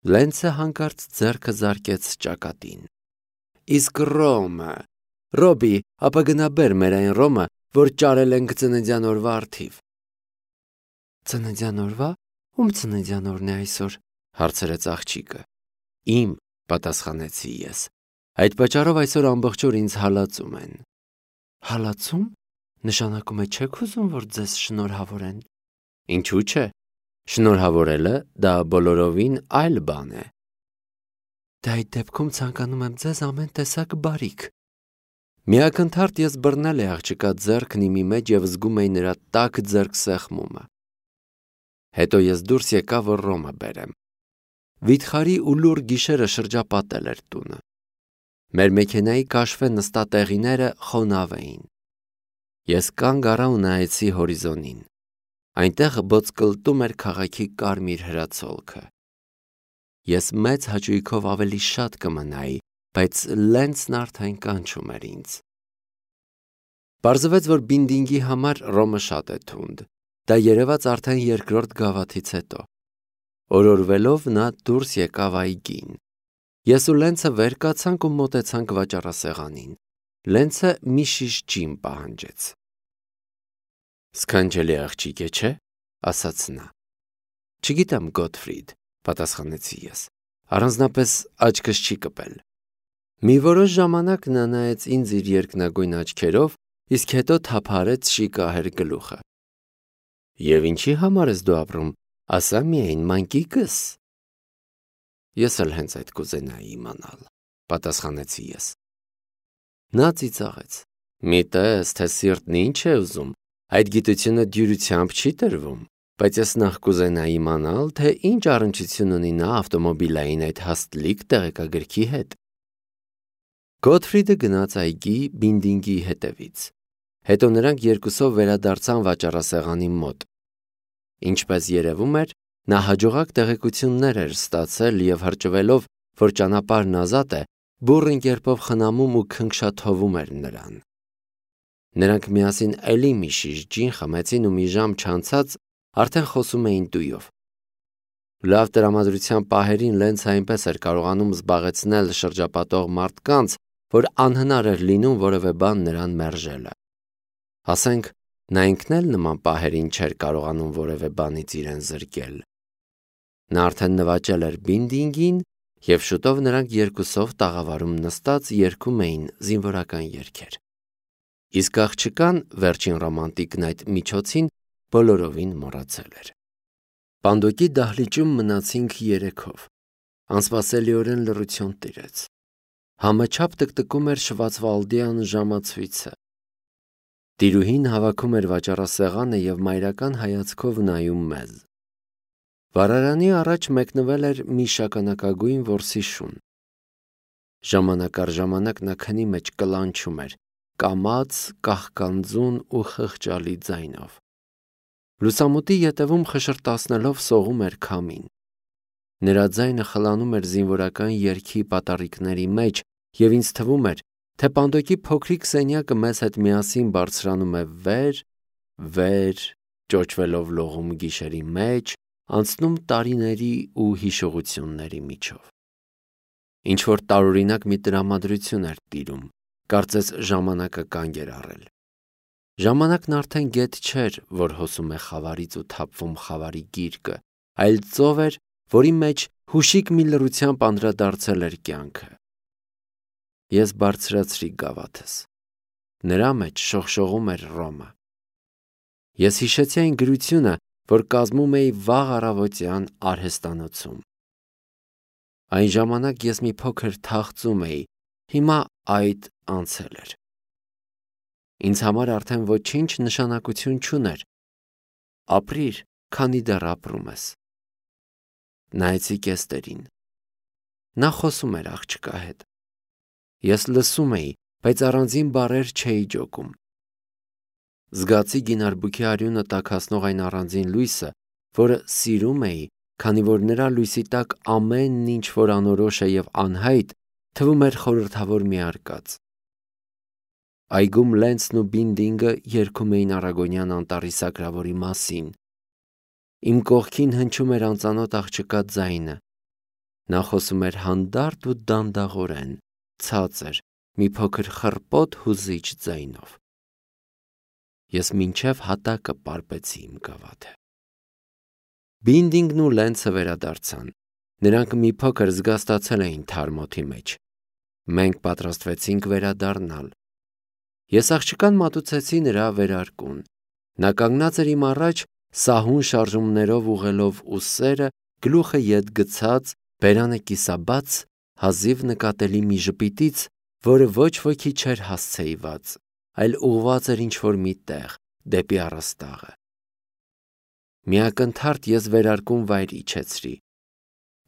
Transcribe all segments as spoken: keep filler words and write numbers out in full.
Լենցը հանկարծ ձեռքը զարկեց ճակատին։ Իսկ Ռոմը, Ռոբի, ապա գնա բեր մեր այն Ռոմը, որ ճարել ենք ծննդյան օրվա առթիվ։ Ծննդյան օրվա, ում ծննդյան օրն է այսօր, հարցրեց աղջիկը։ Իմ, պատասխանեցի ես։ Այդ պատճառով այսօր ամբողջ օր ինձ հալածում են։ Հալածում, նշանակում է չեք ուզում, որ ձեզ շնորհավորեն։ Ինչու՞ չէ։ Շնորհավորելը դա բոլորովին այլ բան է։ Դա այդ դեպքում ցանկանում եմ ձեզ ամեն տեսակ բարիք։ Միակնթարթ ես բռնել էի աղջկա ձեռքն իմի մեջ և զգում էի նրա տաք ձեռքսեղմումը։ Հետո ես դուրս եկա, որ Ռոմը բերեմ։ Վիթխարի ու լուռ գիշերը շրջապատել էր տունը։ Մեր մեքենայի կաշվե նստատեղիները խոնավ էին։ Ես կանգ առա ու նայեցի հորիզոնին։ Այնտեղ բոցկլտում էր քաղաքի կարմիր հրացոլքը։ Ես մեծ հաճույքով ավելի շատ կմնայի, բայց Լենցն արդեն կանչում էր ինձ։ Պարզվեց, որ բինդինգի համար Ռոմը շատ է թունդ։ Դա երևաց արդեն երկրորդ գավաթից հետո։ Օրորվելով նա դուրս եկավ այգին։ Ես ու Լենցը վեր կացանք ու մոտեցանք վաճառասեղանին։ Լենցը մի շիշ ջին պահանջեց։ Սքանչելի աղջիկ է, չէ՞, ասաց նա։ Չգիտեմ, Գոթֆրիդ, պատասխանեցի ես։ Առանձնապես աչքս չի կպել։ Մի որոշ ժամանակ նա նայեց ինձ իր երկնագույն աչքերով, իսկ հետո թափահարեց շիկահեր գլուխը։ Եվ ինչի համար ես դու ապրում, ասա միայն մանկիկս։ Ես էլ հենց այդ կուզենայի իմանալ, պատասխանեցի ես։ Նա ծիծաղեց։ Մի տես, թե սիրտն ինչ է ուզում, այդ գիտությունը դյուրությամբ չի տրվում, բայց ես նախ կուզենայի իմանալ, թե ինչ առնչություն ունի նա ավտոմոբիլային այդ հաստլիկ տեղեկագրքի հետ։ Գոթֆրիդը գնաց այգի բինդինգի հետևից։ Հետո նրանք երկուսով վերադարձան վաճառասեղանի մոտ։ Ինչպես երևում էր, նա հաջողակ տեղեկություններ էր ստացել և հրճվելով, որ ճանապարհն ազատ է, բուռն կերպով խնամում ու քնքշաթովում էր նրան։ Նրանք միասին էլի մի շիշ ջին խմեցին ու մի ժամ չանցած արդեն խոսում էին տույով։ Լավ տրամադրության պահերին Լենցը այնպես էր կարողանում զբաղեցնել շրջապատող մարդկանց, որ անհնար էր լինում որևէ բան նրան մերժելը։ Ասենք, նա ինքն էլ նման պահերին չէր կարողանում որևէ բանից իրեն զրկել։ Նա արդեն նվաճել էր բինդինգին, և շուտով նրանք երկուսով տաղավարում նստած երգում էին զինվորական երգեր։ Իսկ աղջկան, վերջին ռոմանտիկն այդ միջոցին, բոլորովին մոռացել էր։ Պանդոկի դահլիճում մնացինք երեքով։ Անսպասելիորեն լռություն տիրեց։ Համը չափ տկտկում էր շվացվալդյան ժամացույցը։ Տիրուհին հավաքում էր վաճառասեղանը և մայրական հայացքով նայում մեզ։ Վառարանի առաջ մեկնվել էր մի շագանակագույն որսի շուն։ Ժամանակ առ ժամանակ նա քնի մեջ կլանչում էր, կամաց, կաղկանձուն ու խղճալի ձայնով։ Լուսամուտի ետևում խշրտացնելով սողում էր քամին։ Նրա ձայնը խլանում էր զինվորական երգի պատառիկների մեջ, և ինձ թվում էր, թե պանդոկի փոքրիկ սենյակը մեզ հետ միասին բարձրանում է վեր, վեր, ճոճվելով լողում գիշերի մեջ, անցնում տարիների ու հիշողությունների միջով։ Ինչ-որ տարօրինակ մի տրամադրություն էր տիրում, կարծես ժամանակը կանգ էր առել։ Ժամանակն արդեն գետ չէր, որ հոսում է խավարից ու թափվում խավարի գիրկը, այլ ծով էր, որի մեջ հուշիկ մի լռությամբ անդրադարձել էր կյանքը։ Ես բարձրացրի գավաթս։ Նրա մեջ շողշողում էր Ռոմը։ Ես հիշեցի այն գրությունը, որ կազմում էի վաղ առավոտյան արհեստանոցում։ Այն ժամանակ ես մի փոքր թախծում էի, հիմա այդ անցել էր։ Ինձ համար արդեն ոչինչ նշանակություն չուներ։ Ապրիր, քանի դեռ ապրում ես։ Նայեցի կեստերին։ Նա խոսում էր աղջկա հետ։ Ես լսում էի, բայց առանձին բառեր չէի ջոկում։ Զգացի գինարբուքի արյունը տաքացնող այն առանձին լույսը, որը սիրում էի, քանի որ նրա լույսի տակ ամեն ինչ, որ անորոշ է և անհայտ, թվում էր խորհրդավոր մի արկած։ Այգում Լենցն ու Բինդինգը երգում էին առագոնյան անտառի սակրավորի մասին։ Իմ կողքին հնչում էր անծանոթ աղջկա ձայնը։ Նա խոսում էր հանդարտ ու դանդաղորեն, ցածր, մի փոքր խռպոտ հուզիչ ձայնով։ Ես մինչև հատակը պարպեցի իմ գավաթը։ Բինդինգն ու Լենցը վերադարձան։ Նրանք մի փոքր զգաստացել էին թարմոթի մեջ։ Մենք պատրաստվեցինք վերադառնալ։ Ես աղջկան մատուցեցի նրա վերարկուն։ Նա կանգնած էր իմ առաջ, սահուն շարժումներով ուղղելով ուսերը, գլուխը ետ գցած, բերանը կիսաբաց, հազիվ նկատելի մի ժպիտից, որը ոչ ոքի չէր հասցեիված, այլ ուղղված էր ինչ-որ մի տեղ, դեպի առաստաղը։ Մի ակնթարթ ես վերարկուն վայր իջեցրի։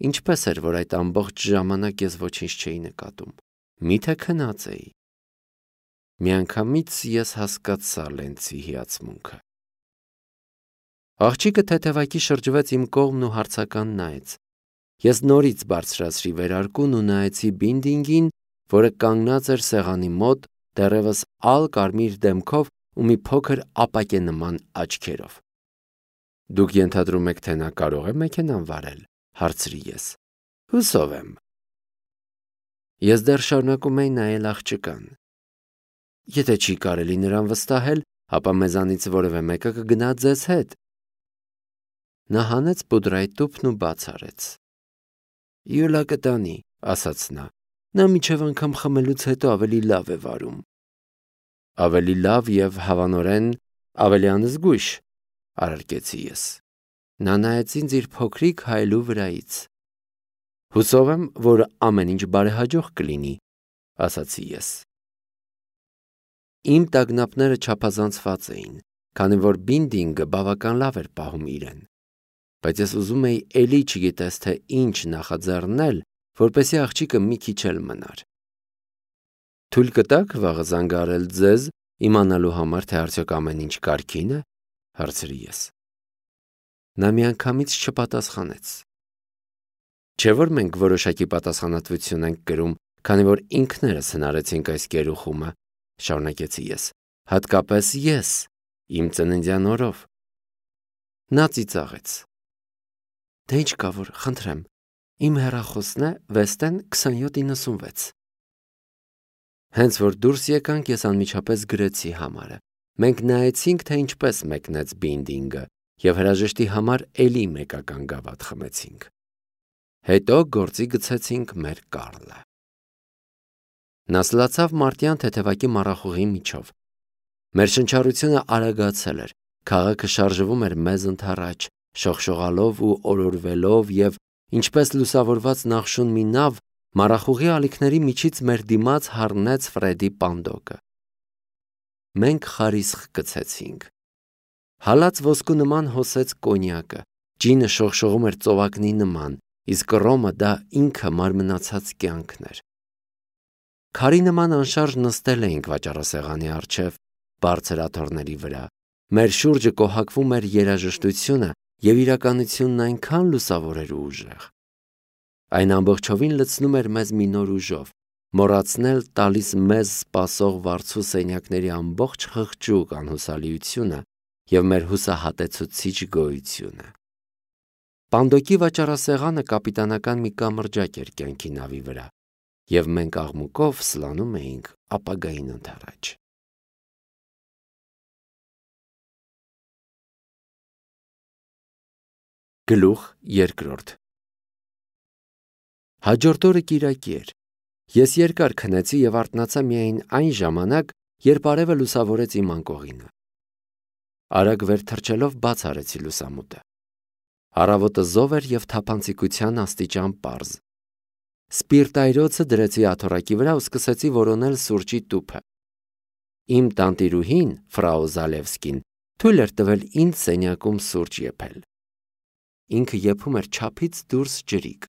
Ինչպես էր, որ այդ ամբողջ ժամանակ ես ոչինչ չէի նկատում, միթե քնած էի։ Միանգամից ես հասկացա Լենցի հիացմունքը։ Աղջիկը թեթևակի շրջվեց իմ կողմն ու հարցական նայեց։ Ես նորից բարձրացրի վերարկուն ու նայեցի Բինդինգին, որը կանգնած էր սեղանի մոտ, դեռևս ալ կարմիր դեմքով ու մի փոքր ապակենման աչքերով։ Դուք ենթադրում եք, թե նա կարող է մեքենան վարել, հարցրի ես։ Հուսով եմ։ Ես դեռ շարունակում էի նայել աղջկան։ Եթե չի կարելի նրան վստահել, ապա մեզանից որևէ մեկը կգնա ձեզ հետ։ Նա հանեց պուդրայի տուփն ու բաց արեց։ Յուլա կտանի, ասաց նա։ Նա մինչև անգամ խմելուց հետո ավելի լավ է վարում։ Ավելի լավ և հավանորեն ավելի անզգույշ, արարքեցի ես։ Նա նայեց ինձ իր փոքրիկ հայելու վրայից։ Հուսով եմ, որ ամեն ինչ բարեհաջող կլինի, ասացի ես։ Իմ տագնապները չափազանցված էին, քանի որ Բինդինգը բավական լավ էր պահում իրեն, բայց ես ուզում էի էլի չգիտես թե ինչ նախաձեռնել, որպեսզի աղջիկը մի քիչ էլ մնար։ Թույլ կտաք վաղը զանգահարել ձեզ, իմանալու համար, թե արդյոք ամեն ինչ կարգին է, հարցրի ես։ Նա միանգամից չպատասխանեց։ Չէ՞ որ մենք որոշակի պատասխանատվություն ենք կրում, քանի որ ինքներս հնարեցինք այս գերուխումը, շարունակեցի ես, հատկապես ես, իմ ծննդյան օրով։ Նա ծիծաղեց։ Դե ինչ կա որ, խնդրեմ, իմ հեռախոսն է Վեստեն քսանյոթ իննսունվեց։ Հենց որ դուրս եկանք, ես անմիջապես գրեցի համարը։ Մենք նայեցինք, թե ինչպես մեկնեց Բինդինգը, և հրաժեշտի համար էլի մեկական գավաթ խմեցինք։ Հետո գործի գցեցինք մեր Կարլը։ Նա սլացավ մարտյան թեթևակի մառախուղի միջով։ Մեր շնչառությունը արագացել էր, քաղաքը շարժվում էր մեզ ընդառաջ, շողշողալով ու օրորվելով և, ինչպես լուսավորված նախշուն մի նավ, մառախուղի ալիքների միջից մեր դիմաց հառնեց Ֆրեդի պանդոկը։ Մենք խարիսխ գցեցինք։ Հալած ոսկու նման հոսեց կոնյակը, ջինը շողշողում էր ծովակնի նման, իսկ ռոմը դա ինքը մարմնացած կյանքն էր։ Քարի նման անշարժ նստել էինք վաճառասեղանի առջև, բարձր աթոռների վրա։ Մեր շուրջը կոհակվում էր երաժշտությունը և իրականությունն այնքան լուսավոր էր ու ուժեղ։ Այն ամբողջովին լցնում էր մեզ մի նոր ուժով, մոռացնել տալիս մեզ սպասող վարձու սենյակների ամբողջ խղճուկ անհուսալիությունը և մեր հուսահատեցուցիչ գոյությունը։ Պանդոկի վաճառասեղանը կապիտանական մի կամրջակ էր կյանքի նավի վրա, և մենք աղմուկով սլանում էինք ապագային ընդառաջ։ Գլուխ երկրորդ։ Հաջորդ օրը կիրակի էր։ Ես երկար քնեցի և արթնացա միայն այն ժամանակ, երբ արևը լուսավորեց իմ անկողինը։ Արագ վեր թռչելով բաց արեցի լուսամուտը։ Առավոտը զով էր և թափանցիկության աստիճան պարզ։ Սպիրտայրոցը դրեցի աթոռակի վրա ու սկսեցի որոնել սուրճի տուփը։ Իմ տանտիրուհին, ֆրաու Զալևսկին, թույլ էր տվել ինձ սենյակում սուրճ եփել։ Ինքը եփում էր չափից դուրս ջրիկ։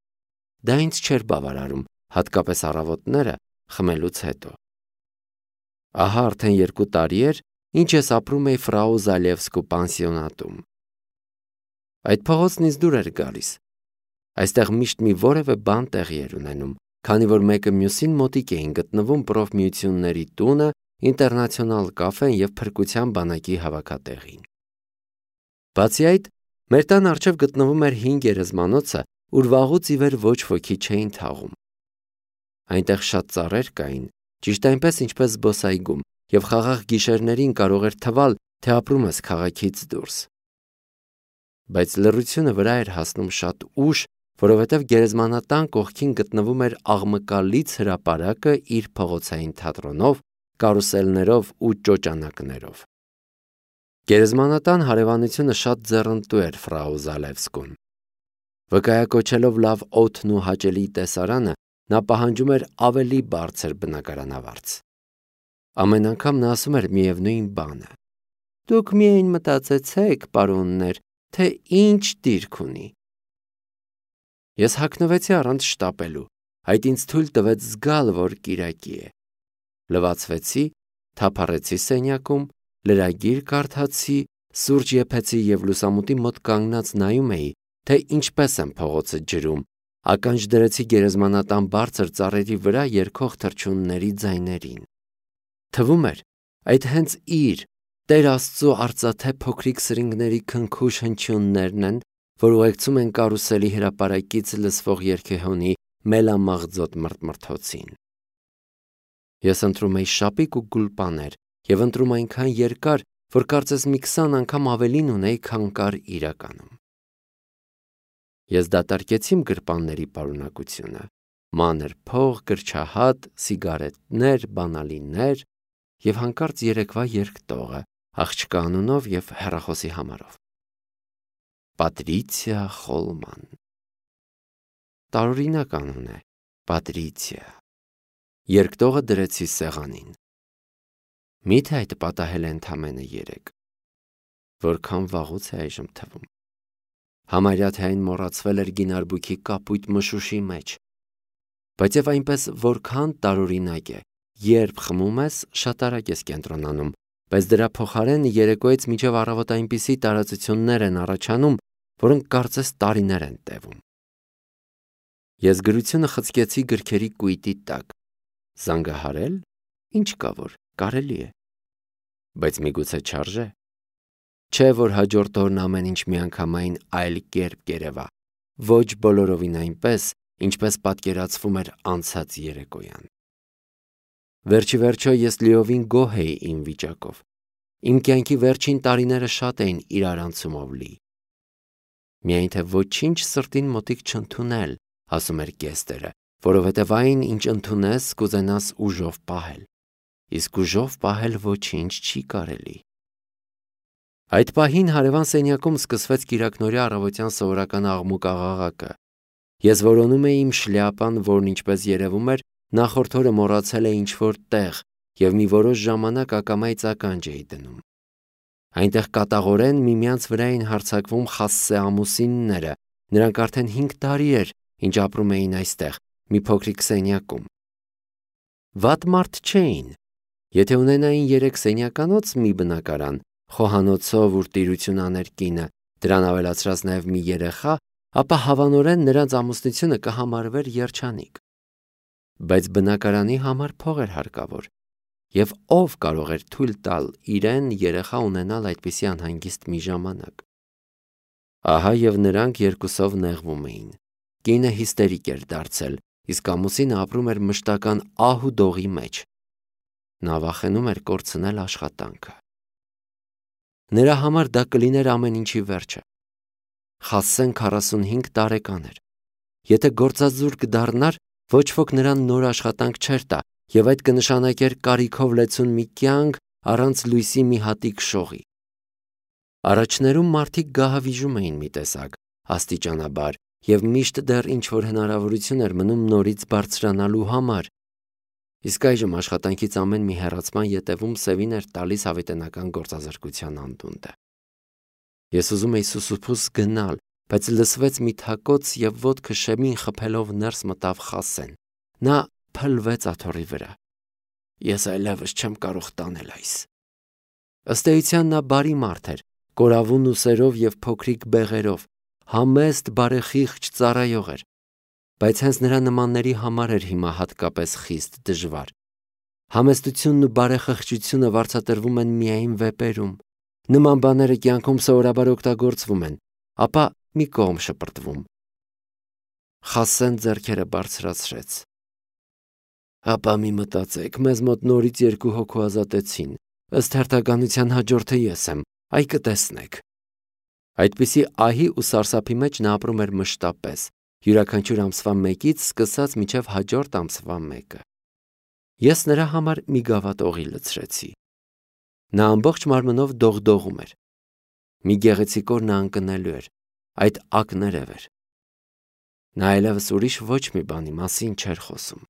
Դա ինձ չէր բավարարում, հատկապես առավոտները խմելուց հետո։ Ահա արդեն երկու տարի էր, ինչ ես ապրում էի ֆրաու Զալևսկու պանսիոնատում։ Այդ փողոցն ինձ դուր էր գալիս։ Այստեղ միշտ մի որևէ բան տեղի էր ունենում, քանի որ մեկը մյուսին մոտիկ էին գտնվում պրոֆմիությունների տունը, ինտերնացիոնալ կաֆեն և փրկության բանակի հավաքատեղին։ Բացի այդ, մեր տան առջև գտնվում էր հին գերեզմանոցը, ուր վաղուց ի վեր ոչ ոքի չէին թաղում։ Այնտեղ շատ ծառեր կային, ճիշտ այնպես ինչպես զբոսայգում, և խաղաղ գիշերներին կարող էր թվալ, թե ապրում ես քաղաքից դուրս։ Բայց լռությունը վրա էր հասնում շատ ուշ, որովհետև գերեզմանատան կողքին գտնվում էր աղմկալից հրապարակը իր փողոցային թատրոնով, կարուսելներով ու ճոճանակներով։ Գերեզմանատան հարևանությունը շատ ձեռնտու էր ֆրау Զալևսկուն։ Վկայակոչելով լավ օդն ու հաճելի տեսարանը, նա պահանջում էր ավելի բարձր բնակարանավարձ։ Ամեն անգամ նա ասում էր միևնույն բանը. «Դուք միայն մտածեցեք, պարոններ, թե ինչ դիրք ունի»։ Ես հագնվեցի առանց շտապելու, այդ ինձ թույլ տվեց զգալ, որ կիրակի է։ Լվացվեցի, թափառեցի սենյակում, լրագիր կարդացի, սուրճ եփեցի և լուսամուտի մոտ կանգնած նայում էի, թե ինչպես եմ փողոցը ջրում, ականջ դրեցի գերեզմանատան բարձր ծառերի վրա երգող թռչունների ձայներին։ Թվում էր, այդ հենց իր, Տեր Աստծու արծաթե փոքրիկ սրինգների քնքուշ հնչյուններն են, որ ուղեկցում են կարուսելի հրապարակից լսվող երգեհոնի մելամաղձոտ մրթմրթոցին։ Ես ընտրում էի շապիկ ու գուլպաներ և ընտրում այնքան երկար, որ կարծես մի քսան անգամ ավելին ունեի, քան կար իրականում։ Ես դատարկեցի իմ գրպանների պարունակությունը՝ մանր փող, գրչահատ, սիգարետներ, բանալիներ և հանկարծ երեկվա երկտողը, աղջկա անունով և հեռախոսի համարով։ Պատրիցիա Խոլման։ Տարօրինակ անուն է, Պատրիցիա։ Երկտողը դրեցի սեղանին։ Միթե այդ պատահել է ընդամենը երեկ։ Որքան վաղուց է այժմ թվում։ Համարյա թե այն մոռացվել էր գինարբուքի կապույտ մշուշի մեջ։ Բայց և այնպես որքան տարօրինակ է, երբ խմում ես, շատ արագ ես կենտրոնանում, բայց դրա փոխարեն երեկոյից մինչև առավոտ այնպիսի տարածություններ են առաջանում, որոնք կարծես տարիներ են տևում։ Ես գրությունը խցկեցի գրքերի կույտի տակ։ Զանգահարել, ինչ կա որ, կարելի է։ Բայց միգուցե չարժե։ Չէ որ հաջորդ օրն ամեն ինչ միանգամայն այլ կերպ կերևա, ոչ բոլորովին այնպես, ինչպես պատկերացվում էր անցած երեկոյան։ Վերջիվերջո ես լիովին գոհ էի իմ վիճակով։ Իմ կյանքի վերջին տարիները շատ էին իրարանցումով լի։ Միայն թե ոչինչ սրտին մոտիկ չընդունել, ասում էր կեստերը, որովհետև այն, ինչ ընդունես, կուզենաս ուժով պահել, իսկ ուժով պահել ոչինչ չի կարելի։ Այդ պահին հարևան սենյակում սկսվեց կիրակնօրյա առավոտյան սովորական աղմուկ-աղաղակը։ Ես որոնում էի իմ շլյապան, որն ինչպես երևում էր, նախորդ օրը մոռացել է ինչ-որ տեղ և մի որոշ ժամանակ ակամայից ականջ էի դնում։ Այնտեղ կատաղորեն միմյանց վրա էին հարձակվում Խասսե ամուսինները, նրանք արդեն հինգ տարի էր, ինչ ապրում էին այստեղ, մի փոքրիկ սենյակում։ Վատ մարդ չէին։ Եթե ունենային երեք սենյականոց մի բնակարան, խոհանոցով ուր տիրություն աներ կինը, դրան ավելացրած նաև մի երեխա, ապա հավանորեն նրանց ամուսնությունը կհամարվեր երջանիկ։ Բայց բնակարանի համար փող էր հարկավոր, և ով կարող էր թույլ տալ իրեն երեխա ունենալ այդպիսի անհանգիստ մի ժամանակ։ Ահա և նրանք երկուսով նեղվում էին։ Կինը հիստերիկ էր դարձել, իսկ ամուսինը ապրում էր մշտական ահ ու դողի մեջ։ Նա վախենում էր կորցնել աշխատանքը։ Նրա համար դա կլիներ ամեն ինչի վերջը։ Խասսեն քառասունհինգ տարեկան էր։ Եթե գործազուրկ կդառնար, ոչ ոք նրան նոր աշխատանք չէր տա, և այդ կնշանակեր կարիքով լեցուն մի կյանք առանց լույսի մի հատիկ շողի։ Առաջներում մարդիկ գահավիժում էին մի տեսակ, աստիճանաբար, և միշտ դեռ ինչ-որ հնարավորություն էր մնում նորից բարձրանալու համար։ Իսկ այժմ աշխատանքից ամեն մի հեռացման ետևում սևին էր տալիս հավիտենական գործազրկության անդունդը։ Ես ուզում էի սուսուփուս գնալ, բայց լսվեց մի թակոց և ոտքը շեմին խփելով ներս մտավ Խասսեն։ Նա փլվեց աթոռի վրա։ Ես այլևս չեմ կարող տանել այս։ Ըստ էության նա բարի մարդ էր, կորավուն ուսերով և փոքրիկ բեղերով, համեստ, բարեխիղճ ծառայող էր, բայց հենց նրա նմանների համար էր հիմա հատկապես խիստ դժվար։ Համեստությունն ու բարեխղճությունը վարձատրվում են միայն վեպերում։ Նման բաները կյանքում սովորաբար օգտագործվում են, ապա մի կողմ շպրտվում։ Խասեն ձեռքերը բարձրացրեց։ Ապա մի մտածեք, մեզ մոտ նորից երկու հոգու ազատեցին, ըստ հերթականության հաջորդը ես եմ, այ կտեսնեք։ Այդպիսի ահի ու սարսափի մեջ նա ապրում էր մշտապես, յուրաքանչյուր ամսվա մեկից սկսած մինչև հաջորդ ամսվա մեկը։ Ես նրա համար մի գավաթ օղի լցրեցի։ Նա ամբողջ մարմնով դողդողում էր։ Մի գեղեցիկ օր նա ընկնելու էր, այդ ակներև էր։ Նա այլևս ուրիշ ոչ մի բանի մասին չէր խոսում։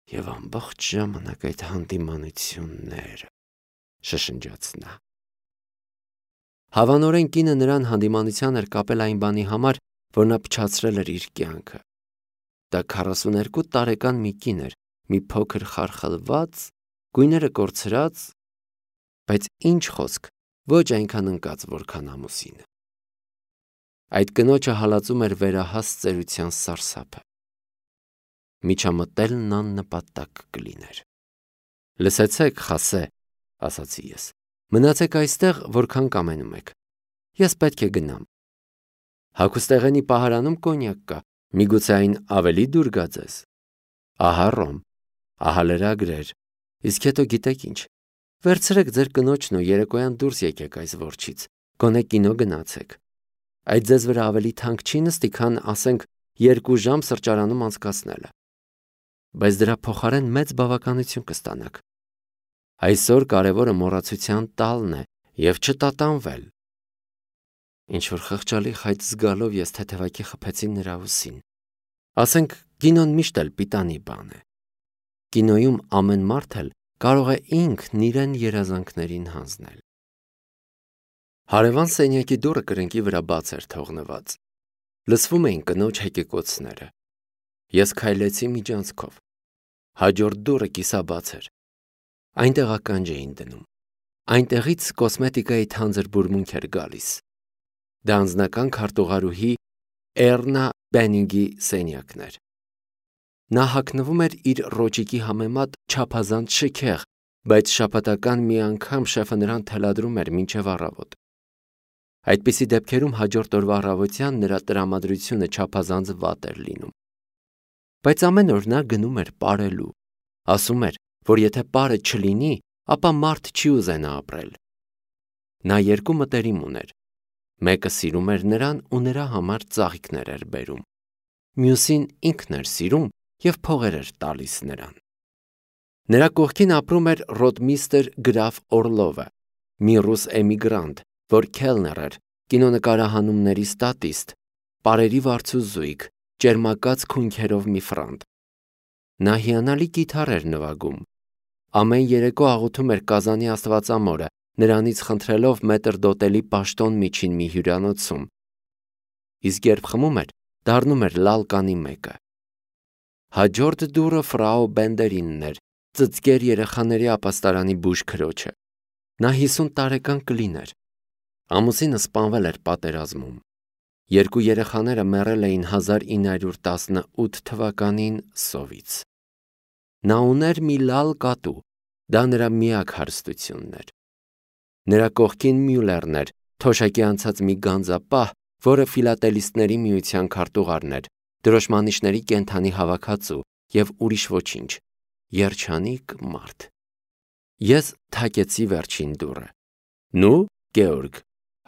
Եվ ամբողջ ժամանակ այդ հանդիմանությունները, շշնջաց նա։ Հավանորեն կինը նրան հանդիմանության էր կապել այն բանի համար, որ նա փչացրել էր իր կյանքը։ Դա քառասուներկու տարեկան մի կին էր, մի փոքր խարխլված, գույները կորցրած, բայց ինչ խոսք, ոչ այնքան ընկած, որքան ամուսինը։ Այդ կնոջը հալածում էր վերահաս ծերության սարսափը։ Միջամտելն աննպատակ կլիներ։ Լսեցեք, Խասե, ասացի ես, մնացեք այստեղ, որքան կամենում եք։ Ես պետք է գնամ։ Հագուստեղենի պահարանում կոնյակ կա, միգուցե այն ավելի դուր գա ձեզ։ Ահա ռոմ, ահա լրագրեր, իսկ հետո գիտեք ինչ, վերցրեք ձեր կնոջն ու երեկոյան դուրս եկեք այս որջից, գոնե կինո գնացեք։ Այդ ձեզ վրա ավելի թանկ չի նստի, քան, ասենք, երկու ժամ սրճարանում անցկացնելը։ Բայց դրա փոխարեն մեծ բավականություն կստանաք։ Այսօր կարևորը մոռացության տալն է և չտատանվել։ Ինչ-որ խղճալի խայծ զգալով ես թեթևակի խփեցի նրա ուսին։ Ասենք, կինոն միշտ էլ պիտանի բան է։ Կինոյում ամեն մարդ էլ կարող է ինքն իրեն երազանքներին հանձնել։ Հարևան սենյակի դուռը կրկնակի վրա բաց էր թողնված։ Լսվում էին կնոջ հեկեկոցները։ Ես քայլեցի միջանցքով։ Հաջորդ դուռը կիսաբաց էր։ Այնտեղ ականջ էին դնում։ Այնտեղից կոսմետիկայի թանձր բուրմունք էր գալիս։ Դա անձնական քարտուղարուհի Էռնա Բենինգի սենյակն էր։ Նա հագնվում էր իր ռոճիկի համեմատ չափազանց շքեղ, բայց շաբաթական մի անգամ շեֆը նրան թելադրում էր մինչև առավոտ։ Այդպիսի դեպքերում հաջորդ օրվա առավոտյան նրա տրամադրությունը չափազանց վատ էր լինում։ Բայց ամեն օր նա գնում էր պարելու, ասում էր, որ եթե պարը չլինի, ապա մարդ չի ուզենա ապրել։ Նա երկու մտերիմ ուներ։ Մեկը սիրում էր նրան ու նրա համար ծաղիկներ էր բերում։ Մյուսին ինքն էր սիրում և փողեր էր տալիս նրան։ Նրա կողքին ապրում էր ռոդմիստր գրաֆ Օրլովը, մի ռուս էմիգրանտ, որ քելներ էր, կինոնկարահանումների ստատիստ, պարերի վարձուզույգ, ճերմակած քունքերով մի ֆրանտ։ Նա հիանալի կիթառ էր նվագում։ Ամեն երեկո աղոթում էր Կազանի Աստվածամորը, նրանից խնդրելով մետր դոտելի պաշտոն միջին մի հյուրանոցում։ Իսկ երբ խմում էր, դառնում էր լալկանի մեկը։ Հաջորդ դուռը ֆրաու Բենդերինն էր, ծծկեր երեխաների ապաստարանի բուժ քրոջը։ Նա հիսուն տարեկան կլին էր։ Ամուսինը սպանվել էր պատերազմում։ Երկու երեխաները մեռել էին հազար ինը հարյուր տասնութ թվականին սովից։ Նա ուներ մի լալ կատու, դա նրա միակ հարստությունն էր։ Նրա կողքին Մյուլերն էր, թոշակի անցած մի գանձապահ, որը ֆիլատելիստների միության քարտուղարն էր, դրոշմանիշների կենդանի հավաքածու և ուրիշ ոչինչ, երջանիկ մարդ։ Ես թակեցի վերջին դուռը։ Նու, Գեորգ,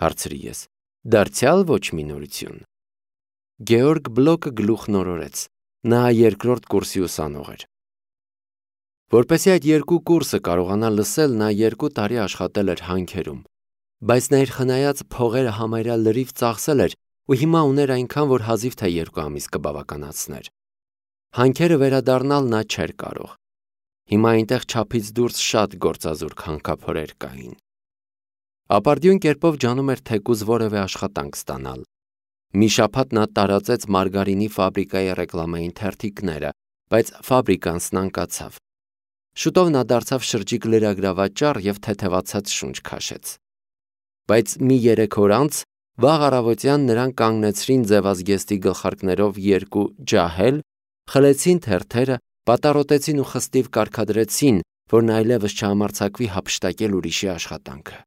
հարցրի ես, դարձյալ ոչ մի նորություն։ Գեորգ Բլոկը գլուխն օրորեց։ Նա երկրորդ կուրսի ուսանող էր։ Որպեսզի այդ երկու կուրսը կարողանա լսել, նա երկու տարի աշխատել էր հանքերում, բայց նա իր խնայած փողերը համարյա լրիվ ծախսել էր ու հիմա ուներ այնքան, որ հազիվ թե երկու ամիս կբավականացներ։ Հանքերը վերադառնալ նա չէր կարող։ Հիմա այնտեղ չափից դուրս շատ գործազուրկ հանքափորեր կային։ Ապարդյուն կերպով ջանում էր թեկուզ որևէ աշխատանք ստանալ։ Մի շաբաթ նա տարածեց մարգարինի ֆաբրիկայի ռեկլամային թերթիկները, բայց ֆաբրիկան սնանկացավ։ Շուտով նա դարձավ շրջիկ լրագրավաճառ և թեթևացած շունչ քաշեց։ Բայց մի երեք օր անց վաղ առավոտյան նրան կանգնեցրին ձևազգեստի գլխարկներով երկու ջահել, խլեցին թերթերը, պատառոտեցին ու խստիվ կարգադրեցին, որ նա այլևս չհամարձակվի հափշտակել ուրիշի աշխատանքը։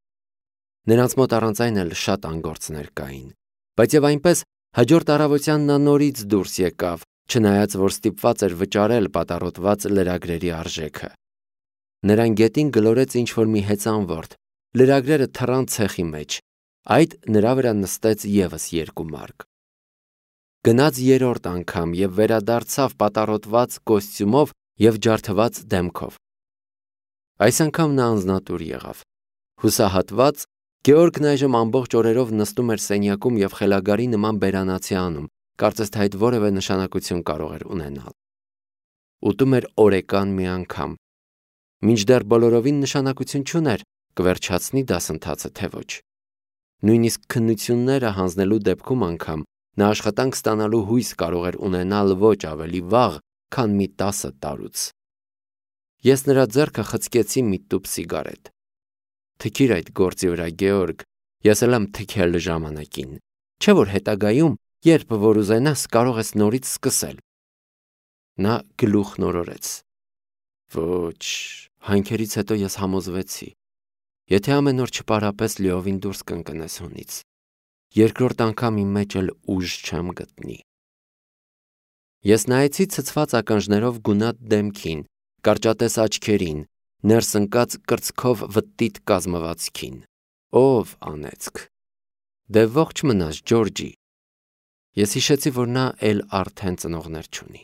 Նրանց մոտ առանց այն էլ շատ անգործներ կային, բայց և այնպես Հաջորդ առավոտյան նա նորից դուրս եկավ, չնայած որ ստիպված էր վճարել պատառոտված լրագրերի արժեքը։ Նրան գետին գլորեց ինչ-որ մի հեծանվորդ, լրագրերը թռան ցեխի մեջ, այդ նրա վրա նստեց ևս երկու մարկ։ Գնաց երրորդ անգամ և վերադարձավ պատառոտված կոստյումով և ջարդված դեմքով։ Այս անգամ նա անձնատուր եղավ։ Հուսահատված, Գեորգն այժմ ամբողջ օրերով նստում էր սենյակում և խելագարի նման բերանացի անում, կարծես թե այդ որևէ նշանակություն կարող էր ունենալ։ Ուտում էր օրեկան մի անգամ։ Մինչդեռ բոլորովին նշանակություն չուներ, կվերջացնի դասընթացը թե ոչ։ Նույնիսկ քննությունները հանձնելու դեպքում անգամ նա աշխատանք ստանալու հույս կարող էր ունենալ ոչ ավելի վաղ, քան մի տասը տարուց։ Ես նրա ձեռքը խցկեցի մի տուփ սիգարետ։ Թքիր այդ գործի վրա, Գեորգ, ես էլ եմ թքել ժամանակին, չէ՞ որ հետագայում, երբ որ ուզենաս, կարող ես նորից սկսել։ Նա գլուխ նորորեց։ Ոչ, հանքերից հետո ես համոզվեցի։ Եթե ամեն օր չպարապես լիովին դուրս կընկնես հունից, երկրորդ անգամ իմ մեջ էլ ուժ չեմ գտնի։ Ես նայեցի ցցված ականջներով գունատ դեմքին, կարճատես աչքերին, ներս ընկած կրծքով վտտիտ կազմվածքին։ Ով անեծք։ Դե ողջ մնաս, Ջորջի։ Ես հիշեցի, որ նա էլ արդեն ծնողներ չունի։